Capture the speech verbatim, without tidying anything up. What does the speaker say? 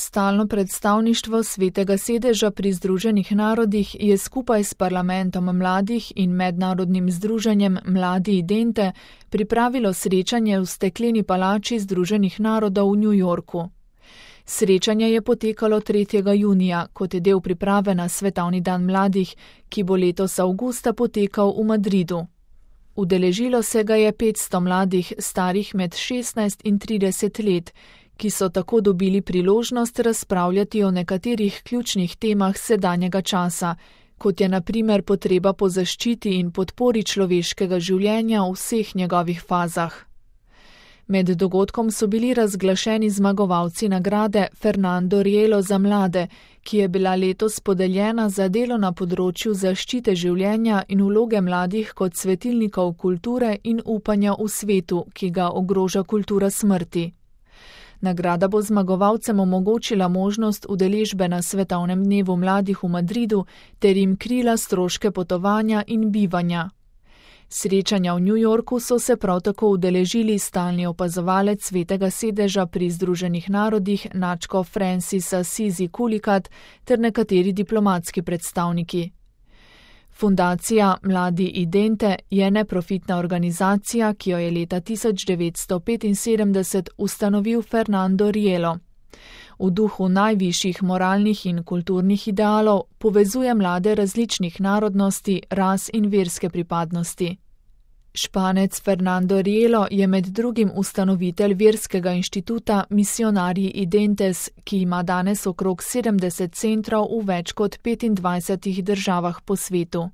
Stalno predstavništvo Svetega sedeža pri Združenih narodih je skupaj s Parlamentom mladih in mednarodnim združenjem Mladi Idente pripravilo srečanje v stekleni palači Združenih narodov v New Yorku. Srečanje je potekalo tretjega junija, kot je del priprave na Svetovni dan mladih, ki bo letos avgusta potekal v Madridu. Udeležilo se ga je petsto mladih, starih med šestnajst in trideset let, ki so tako dobili priložnost razpravljati o nekaterih ključnih temah sedanjega časa, kot je na primer potreba po zaščiti in podpori človeškega življenja v vseh njegovih fazah. Med dogodkom so bili razglašeni zmagovalci nagrade Fernando Rielo za mlade, ki je bila letos podeljena za delo na področju zaščite življenja in vloge mladih kot svetilnikov kulture in upanja v svetu, ki ga ogroža kultura smrti. Nagrada bo zmagovalcem omogočila možnost udeležbe na Svetovnem dnevu mladih v Madridu ter jim krila stroške potovanja in bivanja. Srečanja v New Yorku so se prav tako udeležili stalni opazovalec Svetega sedeža pri Združenih narodih nadškof Francis Assisi Kulikat ter nekateri diplomatski predstavniki. Fundacija Mladi Idente je neprofitna organizacija, ki jo je leta tisoč devetsto petinsedemdeset ustanovil Fernando Rielo. V duhu najvišjih moralnih in kulturnih idealov povezuje mlade različnih narodnosti, ras in verske pripadnosti. Španec Fernando Rielo je med drugim ustanovitelj verskega inštituta Misionari Identes, ki ima danes okrog sedemdeset centrov v več kot petindvajsetih državah po svetu.